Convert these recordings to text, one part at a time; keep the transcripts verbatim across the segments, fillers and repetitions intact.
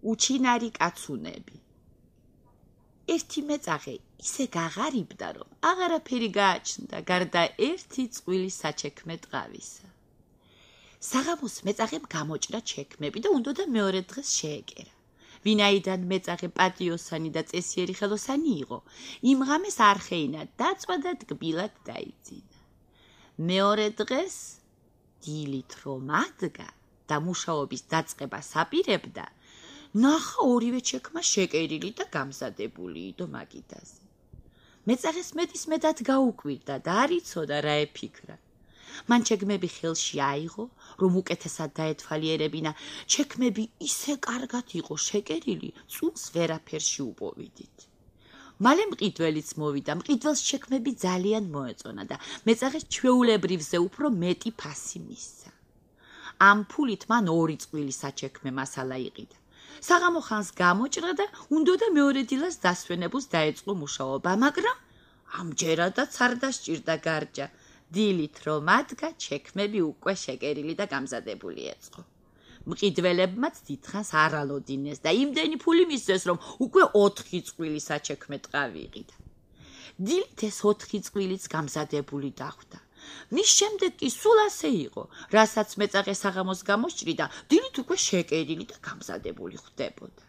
უჩინარი კაცუნები. ერთი მეწაღე ისე გაღარიბდა, რომ აღარაფერი გააჩნდა, გარდა ერთი წყვილი საჩექმე ტყავისა. საღამოს მეწაღემ გამოჭრა ჩექმები და უნდოდა მეორე დღეს შეეკერა. ვინაიდან მეწაღე პატიოსანი და წესიერი ხელოსანი იყო, იმ ღამეს არხეინა დაწვა და ტკბილად დაიძინა. მეორე დღეს დილით რომ ადგა და მუშაობის დაწყებას აპირებდა, ნახა ორივე ჩექმა შეკერილი და გამზადებული იდო მაგიდაზე. მეწაღეს მეტის მეტად გაუკვირდა და არ იცოდა რა ეფიქრა. მან ჩექმები ხელში აიღო, რომ უკეთესად დაეთვალიერებინა, ჩექმები ისე კარგად იყო შეკერილი, წუნს ვერაფერში უპოვიდით. მალე მყიდველიც მოვიდა, მყიდველს ჩექმები ძალიან მოეწონა და მეწაღეს ჩვეულებრივზე უფრო მეტი ფასი მისცა. ამ ფულით მან ორი წყვილი საჩექმე მასალა იყიდა. საღამო ხანს გამოჭრა და უნდოდა მეორე დილას დასვენებულს დაეწყო მუშაობა, მაგრამ ამჯერადაც არ დასჭირდა გარჯა. დილით რომ ადგა, ჩექმები უკვე შეკერილი და გამზადებული ეწყო. მყიდველებმაც დიდხანს არ ალოდინეს და იმდენი ფული მისცეს, რომ უკვე ოთხი წყვილი საჩექმე ტყავი იყიდა. დილით ეს ოთხი წყვილიც გამზადებული დახვდა. მის შემდეგ კი სულ ასე იყო, რასაც მეწაღე საღამოს გამოსჭრიდა, დილით უკვე შეკერილი და გამზადებული ხვდებოდა.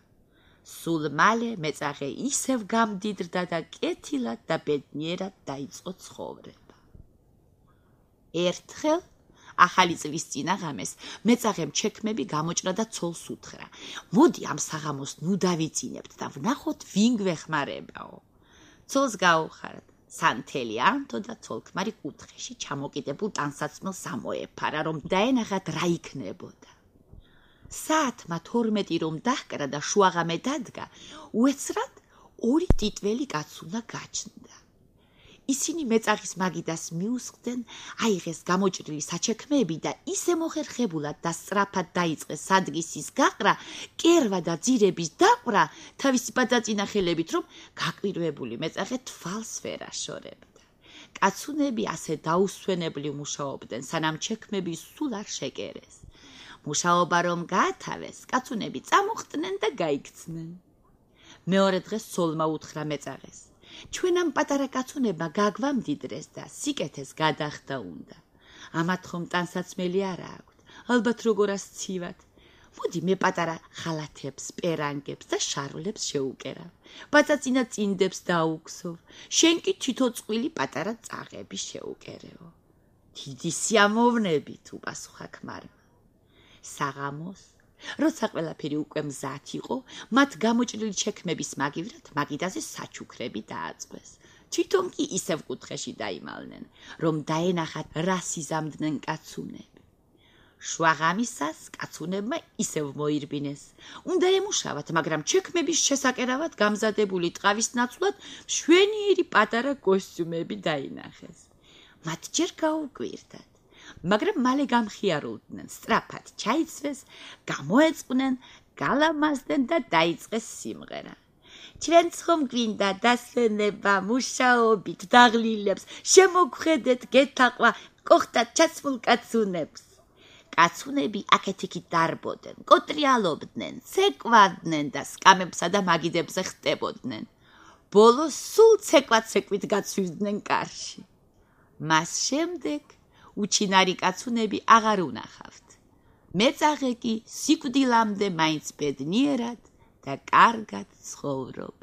სულ მალე მეწაღე ისევ გამდიდრდა და კეთილად და ბედნიერად დაიწყო ცხოვრება. ერთხელ ახალი წლის წინა ღამეს მეწაღემ ჩექმები გამოჭრა და ცოლს უთხრა: მოდი ამ საღამოს ნუ დავიძინებთ და ვნახოთ ვინ გვეხმარებაო. ცოლს გაუხარდა. სანთელი ანთო და ცოლქმარი კუთხეში ჩამოკიდებულ ტანსაცმელს ამოეფარა, რომ დაენახათ რა იქნებოდა. საათმა თორმეტი რომ დაჰკრა და შუაღამე დადგა, უეცრად ორი ტიტველი კაცუნა გაჩნდა. ისინი მეწაღის მაგიდას მიუსხდნენ, აიღეს გამოჭრილი საჩექმეები და ისე მოხერხებულად და სწრაფად დაიწყეს სადგისის გაყრა, კერვა და ძირების დაყვრა თავისი ბადაწინა ხელებით, რომ გაკვირვებული მეწაღე თვალს ვერ აშორებდა. კაცუნები ასე დაუსვენებლივ მუშაობდნენ, სანამ ჩექმები სულ არ შეკერეს. მუშაობა რომ გაათავეს, კაცუნები წამოხდნენ და გაიქცნენ. მეორე დღეს ცოლმა უთხრა მეწაღეს: ჩვენ ამ პატარა კაცუნებმა გაგვამდიდრეს და სიკეთეს გადახდა უნდა. ამათ ხომ ტანსაცმელი არა აქვთ, ალბათ როგორ ასცივათ. მოდი მე პატარა ხალათებს, პერანგებს და შარვლებს შეუკერავ. ბაწაწინა წინდებს დაუქსოვ. შენ კი თითო წყვილი პატარა წაღები შეუკერეო. დიდი სიამოვნებით, უპასუხა ქმარმა. საღამოს როცა ყველაფერი უკვე მზად იყო, მათ გამოჭრილი ჩექმების მაგივრად მაგიდაზე საჩუქრები დააწყვეს. თვითონ კი ისევ კუთხეში დაიმალნენ, რომ დაენახათ რა სიზამდნენ კაცუნები. შუაღამისას კაცუნებმა ისევ მოირბინეს. უნდა ემუშავათ, მაგრამ ჩექმების შესაკერავად გამზადებული ტყავის ნაცვლად მშვენიერი პატარა კოსტიუმები დაინახეს. მათ ჯერ გაუკვირდათ. მაგრამ მალე გამხიარულდნენ, სწრაფად ჩაიცვეს, გამოეწყნენ, გალამაზდნენ და დაიწყეს სიმღერა. ჩვენც ხომ გვინდა დასვენება, მუშაობით დაღლილებს, შემოგხედეთ გეთაყვა, კოხტად ჩაცმულ კაცუნებს. კაცუნები აქეთ-იქით დარბოდნენ, კოტრიალობდნენ, ცეკვავდნენ და სკამებსა და მაგიდებზე ხტებოდნენ. ბოლოს სულ ცეკვად-ცეკვით გაცვივდნენ კარში. მას შემდეგ უჩინარი კაცუნები აღარ უნახავთ. მეწაღე კი სიკვდილამდე მაინც ბედნიერად და კარგად ცხოვრობდა.